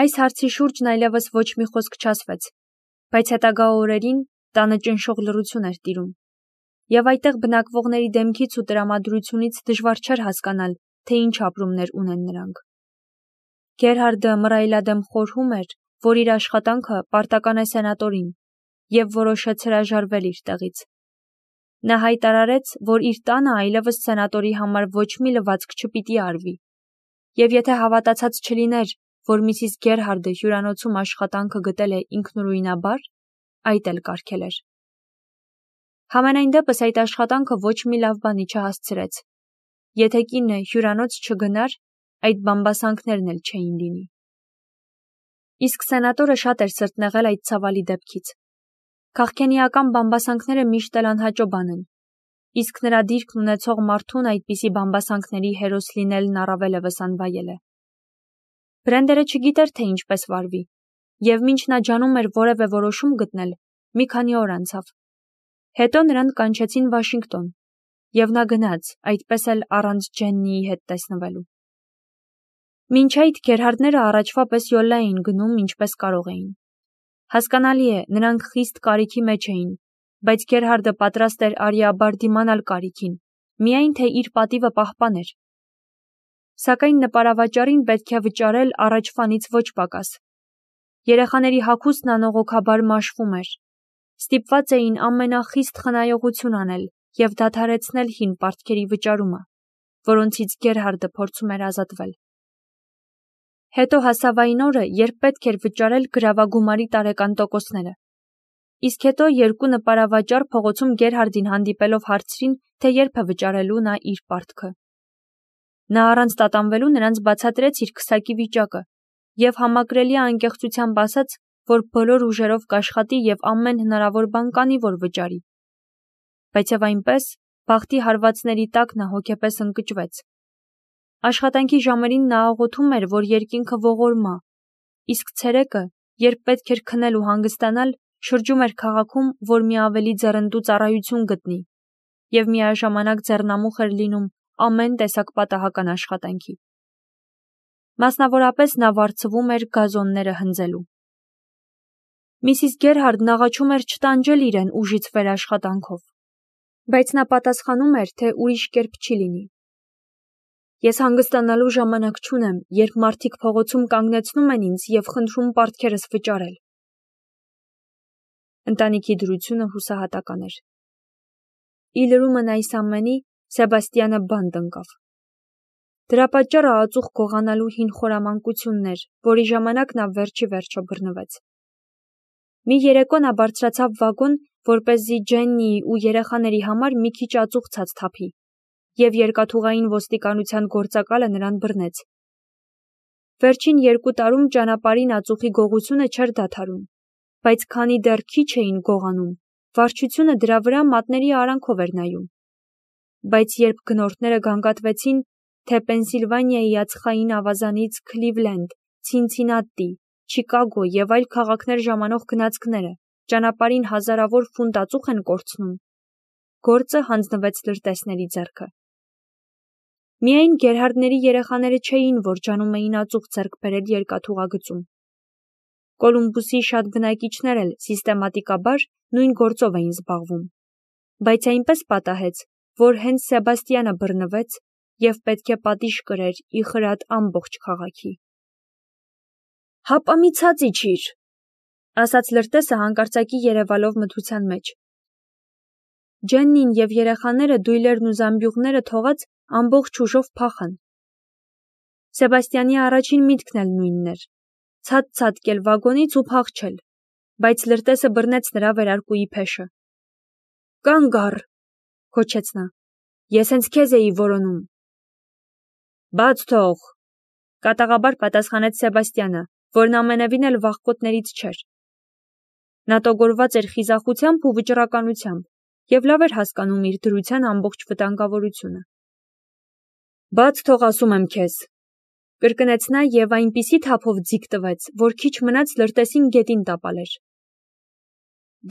Այս հարցի շուրջն այլևս ոչ մի խոսք չասվեց, բայց հետագա օրերին տանը ճնշող լռություն էր տիրում, և այդտեղ բնակվողների դեմքից ու տրամադրությունից դժվար չէր հասկանալ, թե ինչ ապրումներ ունեն նրանք։ Գերհարդը մռայլադեմ խորհում էր, որ իր աշխատանքը պարտական է սենատորին, և որոշեց հրաժարվել իր տեղից։ Նա հայտարարեց, որ իր տանը այլևս սենատորի համար ոչ մի լվացք չպիտի արվի, և եթե հավատացած չլիներ, որ Միսիս Գերհարդը հյուրանոցում աշխատանքը գտել է ինքնուրույնաբար, այդ էլ կարգել էր։ Համենայն դեպս այդ աշխատանքը ոչ մի լավ բանի չհասցրեց։ Եթե կինը հյուրանոց չգնար, այդ բամբասանքներն էլ չէին լինի։ Իսկ սենատորը շատ էր սրտնեղել այդ ցավալի դեպքից։ Քաղքենիական բամբասանքները միշտ էլ անհաճո բան են, իսկ նրա դիրքն ունեցող մարդուն այդպիսի բամբասանքների հերոս լինելն առավելևս անվայել է։ Բրենդերը չգիտեր, թե ինչպես վարվի, և մինչ նա ջանում էր որևէ որոշում գտնել, մի քանի օր անցավ։ Հետո նրան կանչեցին Վաշինգտոն, և նա գնաց, այդպես էլ առանց Ջեննիի հետ տեսնվելու։ Մինչ այդ Գերհարդները առաջվա պես յոլա էին գնում, ինչպես կարող էին։ Հասկանալի է, նրանք խիստ կարիքի մեջ էին, բայց Գերհարդը պատրաստ էր արիաբար դիմանալ կարիքին, միայն թե իր պատիվը պահպաներ։ Սակայն նպարավաճառին պետք է վճարել առաջվանից ոչ պակաս։ Երեխաների հագուստն անողոքաբար մաշվում էր։ Ստիպված էին ամենախիստ խնայողություն անել և դադարեցնել հին պարտքերի վճարումը, որոնցից Գերհարդը փորձում էր ազատվել։ Հետո հասավ այն օրը, երբ պետք էր վճարել գրավագումարի տարեկան տոկոսները։ Իսկ հետո երկու նպարավաճառ փողոցում Գերհարդին հանդիպելով հարցրին, թե երբ է վճարելու նա իր պարտքը։ Նա առանց տատանվելու նրանց բացատրեց իր քսակի վիճակը և համակրելի անկեղծությամբ ասաց, որ բոլոր ուժերով կաշխատի և ամեն հնարավոր բան կանի, որ վճարի։ Բայց և այնպես, բախտի հարվածների տակ նա հոգեպես ընկճվեց։ Աշխատանքի ժամերին նա աղոթում էր, որ երկինքը ողորմա, իսկ ցերեկը, երբ պետք էր քնել ու հանգստանալ, շրջում էր քաղաքում, որ մի ավելի ձեռնդու ծառայություն գտնի, և միաժամանակ ձեռնամուխ էր լինում ամեն տեսակ պատահական աշխատանքի։ Մասնավորապես նա վարձվում էր գազոնները հնձելու։ Միսիս Գերհարդն աղաչում էր չտանջել իրեն ուժից վեր աշխատանքով, բայց նա պատասխանում էր, թե ուրիշ կերպ չի լինի։ Ես հանգստանալու ժամանակ չունեմ, երբ մարդիկ փողոցում կանգնեցնում են ինձ և խնդրում պարտքերս վճարել։ Ընտանիքի դրությունը հուսահատական էր։ Ի լրումն այս ամենի Սեբաստիանը բանտ ընկավ։ Դրա պատճառը ածուխ գողանալու հին խորամանկությունն էր, որի ժամանակ նա վերջի վերջո բռնվեց։ Մի երեկո նա բարձրացավ վագոն, որպեսզի Ջեննիի ու երեխաների համար մի քիչ ածուխ ցած թափի, և երկաթուղային ոստիկանության գործակալը նրան բռնեց։ Վերջին 2 տարում ճանապարհին ածուխի գողությունը չէր դադարում, բայց քանի դեռ քիչ էին գողանում, վարչությունը դրա վրա մատների արանքով էր նայում։ Բայց երբ գնորդները գանգատվեցին, թե Պենսիլվանիայի ածխային ավազանից Քլիվլենդ, Ցինցինատի, Չիկագո և այլ քաղաքներ ժամանող գնացքները ճանապարհին հազարավոր ֆունտ ածուխ են կորցնում, գործը հանձնվեց լրտեսների ձեռքը։ Միայն Գերհարդների երեխաները չէին, որ ջանում էին ածուխ ձեռք բերել երկաթուղագծում։ Կոլումբուսի շատ բնակիչներ էլ սիստեմատիկաբար նույն գործով էին զբաղվում, բայց այնպես պատահեց, որ հենց Սեբաստիանը բռնվեց և պետք է պատիժ կրեր ի խրատ ամբողջ քաղաքի։ «Հապա մի ցած իջիր», ասաց լրտեսը հանկարծակի երևալով մթության մեջ։ Ջեննին և երեխաները դույլերն ու զամբյուղները թողած ամբողջ ուժով փախան։ Սեբաստիանի առաջին միտքն էլ նույնն էր՝ ցած ցատկել վագոնից ու փախչել, բայց լրտեսը բռնեց նրա վերարկուի փեշը։ «Կանգ առ», գոչեց նա, «ես հենց քեզ էի որոնում»։ «Բաց թող», կատաղաբար պատասխանեց Սեբաստիանը, որն ամենևին էլ վախկոտներից չէր։ Նա տոգորված էր խիզախությամբ ու վճռականությամբ և լավ էր հասկանում իր դրության ամբողջ վտանգավորությունը։ «Բաց թող, ասում եմ քեզ», կրկնեց նա և այնպիսի թափով ձիգ տվեց, որ քիչ մնաց լրտեսին գետին տապալեր։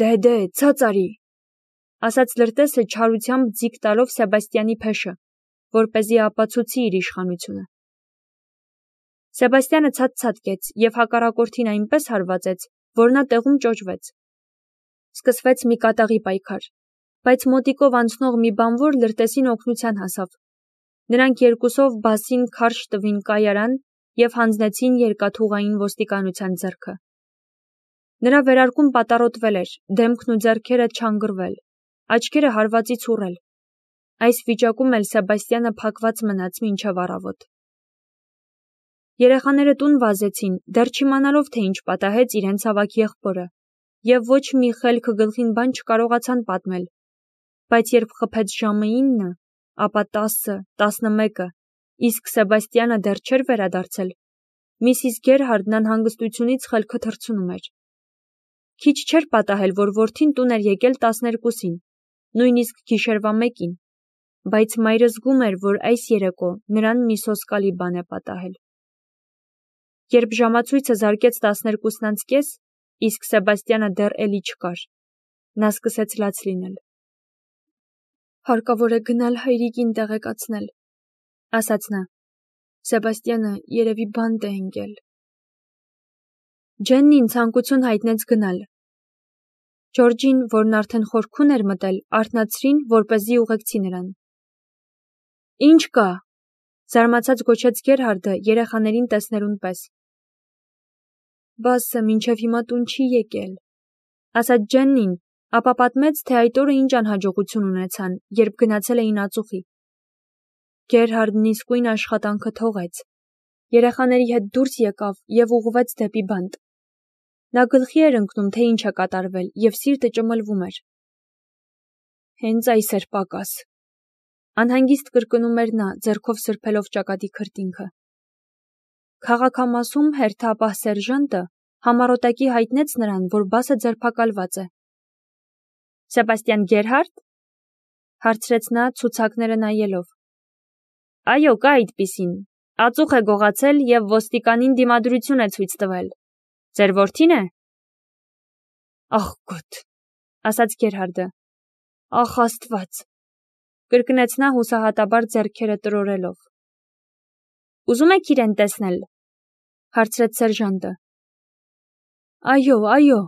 «Դե, ցած արի», ասաց լրտեսը չարությամբ ձիգ տալով Սեբաստիանի փեշը, որպեսզի ապացուցի իր իշխանությունը։ Սեբաստյանը ցած-ցածկեց և հակառակորդին այնպես հարվածեց, որ նա տեղում ճոճվեց։ Սկսվեց մի կատաղի պայքար, բայց մոտիկով անցնող մի բանվոր լրտեսին օգնության հասավ։ Նրանք երկուսով Բասին քարշ տվին կայարան և հանձնեցին երկաթուղային ոստիկանության ձեռքը։ Նրա վերարկուն պատառոտվել էր, դեմքն ու ձեռքերը չանգրվել, աչքերը հարվածից ուռել։ Այս վիճակում էլ Սեբաստյանը փակված մնաց մինչև առավոտ։ Երեխաները տուն վազեցին, դեռ չիմանալով, թե ինչ պատահեց իրենց ավագ եղբորը, և ոչ մի խելքը գլխին բան չկարողացան պատմել, բայց երբ խփեց ժամը 9, ապա 10, 11, իսկ Սեբաստյանը դեռ չէր վերադարձել, Միսիս Գերհարդն անհանգստությունից խելքը թռցնում էր։ Քիչ չէր պատահել, որ որդին տուն էր եկել 12-ին, նույնիսկ գիշերվա 1-ին, բայց մայրը զգում էր, որ այս երեկո նրան մի սոսկալի բան է պատահել։ Երբ ժամացույցը զարկեց 12:30, իսկ Սեբաստյանը դեռ էլի չկար, նա սկսեց լաց լինել։ «Հարկավոր է գնալ հայրիկին տեղեկացնել», ասաց նա։ «Սեբաստյանը երևի բանտ է ընկել»։ Ջեննին ցանկություն հայտնեց գնալ։ Ջորջին, որն արդեն խորքուն էր մտել, արթնացրին, որպեսզի ուղեկցի նրան։ «Ինչ կա», զարմացած գոչեց Գերհարդը երեխաներին տեսնելուն պես։ «Բասը մինչև հիմա տուն չի եկել», ասաց Ջեննին, ապա պատմեց, թե այդ օրը ինչ անհաջողություն ունեցան, երբ գնացել էին ածուխի։ Գերհարդն իսկույն աշխատանքը թողեց, երեխաների հետ դուրս եկավ և ուղղվեց դեպի բանտ։ Նա գլխի էր ընկնում, թե ինչ է կատարվել, և սիրտը ճմլվում էր։ «Հենց այս էր պակաս», անհանգիստ կրկնում էր նա, ձեռքով սրբելով ճակատի քրտինքը։ Քաղաքամասում հերթապահ սերժանտը համառոտակի հայտնեց նրան, որ Բասը ձերբակալված է։ «Սեբաստյան Գերհարդ», հարցրեց նա ցուցակները նայելով։ «Այո, կա այդպիսին, ածուխ է գողացել և ոստիկանին դիմադրություն է ցույց տվել։ Ձեր որդի՞ն է»։ «Ախ գոտ», ասաց Գերհարդը։ «Ախ Աստված», կրկնեց նա հուսահատաբար ձեռքերը տրորելով։ «Ուզում եք իրեն տեսնել», հարցրեց սերժանտը։ «Այո, այո»,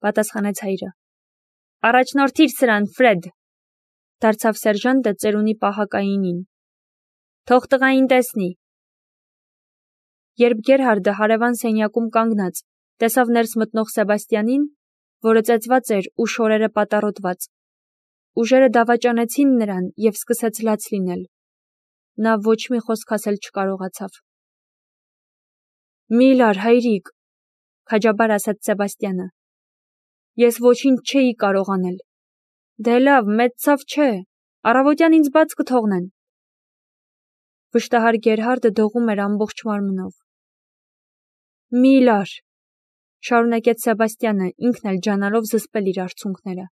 պատասխանեց հայրը։ «Առաջնորդիր սրան, Ֆրեդ», դարձավ սերժանտը ծերունի պահակայինին։ «Թող տղային տեսնի»։ Երբ Գերհարդը հարևան սենյակում կանգնած տեսավ ներս մտնող Սեբաստյանին, որը ծեծված էր ու շորերը պատառոտված, ուժերը դավաճանեցին նրան և սկսեց լաց լինել։ Նա ոչ մի խոսք ասել չկարողացավ։ «Մի լար, հայրիկ», քաջաբար ասաց Սեբաստյանը։ «Ես ոչինչ չէի կարող անել»։ «Դե լավ, մեծ ցավ չէ, առավոտյան ինձ բաց կթողնեն»։ Վշտահար Գերհարդը դողում էր ամբողջ մարմնով։ «Մի լար», շարունակեց Սեբաստյանը, ինքն էլ ջանալով զսպել իր արցունքները։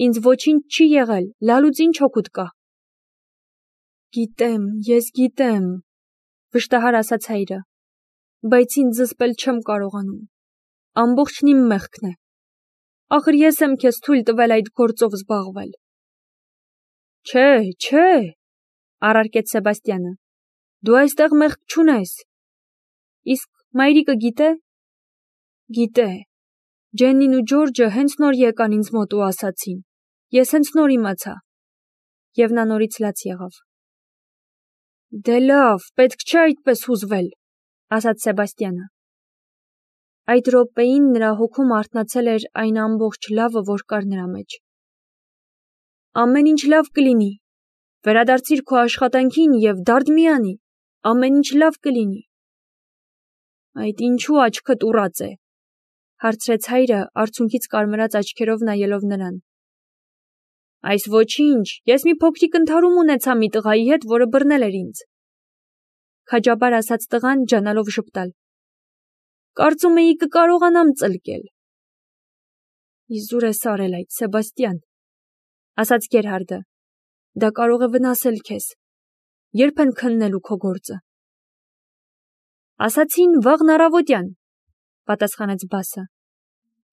«Ինձ ոչինչ չի եղել, լալուց ինչ օգուտ կա»։ «Գիտեմ, ես գիտեմ», վշտահար ասաց հայրը, «բայց ինձ զսպել չեմ կարողանում։ Ամբողջն իմ մեղքն է։ Ախր ես եմ քեզ թույլ տվել այդ գործով զբաղվել»։ «Չէ, չէ», առարկեց Սեբաստյանը, «դու այստեղ մեղք չունես»։ «Իսկ մայրիկը գիտե»։ «Գիտե։ Ջեննին ու Ջորջը հենց նոր եկան ինձ մոտ ու ասացին։ Ես հենց նոր իմացա»։ Եվ նա նորից լաց եղավ։ «Դե լավ, պետք չէ այդպես հուզվել», ասաց Սեբաստյանը։ Այդ րոպեին նրա հոգում արթնացել էր այն ամբողջ լավը, որ կար նրա մեջ։ «Ամեն ինչ լավ կլինի, վերադարձիր քո աշխատանքին և դարդ մի անի, ամեն ինչ լավ կլինի»։ «Այդ ինչու աչքդ ուռած է», հարցրեց հայրը, արցունքից կարմրած աչքերով նայելով նրան։ «Այս ոչինչ, ես մի փոքրիկ ընդհարում ունեցա մի տղայի հետ, որը բռնել էր ինձ», քաջաբար ասաց տղան, ջանալով ժպտալ։ «Կարծում էի կկարողանամ ծլկել»։ «Իզուր ես արել այդ, Սեբաստյան», ասաց Գերհարդը։ «Դա կարող է վնասել քեզ։ Երբ են քննելու քո գործը»։ «Ասացին վաղն առավոտյան», պատասխանեց Բասը։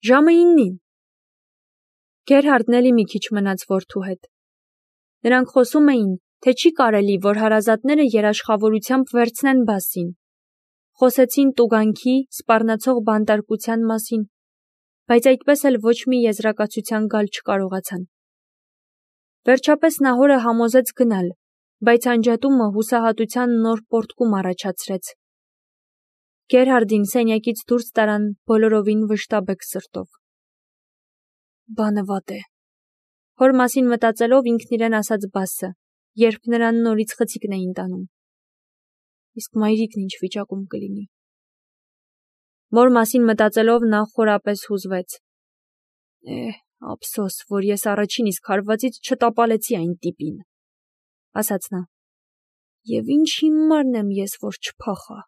«Ժամը 9-ին»։ Գերհարդն էլի մի քիչ մնաց որդու հետ։ Նրանք խոսում էին, թե չի կարելի, որ հարազատները երաշխավորությամբ վերցնեն Բասին, Խոսեցին տուգանքի, սպառնացող բանտարկության մասին, բայց այդպես էլ ոչ մի եզրակացության գալ չկարողացան։ Վերջապես Նահորը համոզեց գնալ, բայց անջատումը հուսահատության նոր պոռթկում առաջացրեց։ Գերհարդին սենյակից դուրս տարան բոլորովին վշտաբեկ սրտով։ Բանը վատ է։ Հոր մասին մտածելով ինքն իրեն ասաց Բասը, երբ նրան նորից խցիկն էին տանում։ Իսկ մայրիկն ինչ վիճակում կլինի։ Մոր մասին մտածելով նա խորապես հուզվեց։ Ափսոս, որ ես առաջին իսկ հարվածից չտապալեցի այն տիպին, ասաց նա։ Եվ ինչ հիմարն եմ ես, որ չփախա։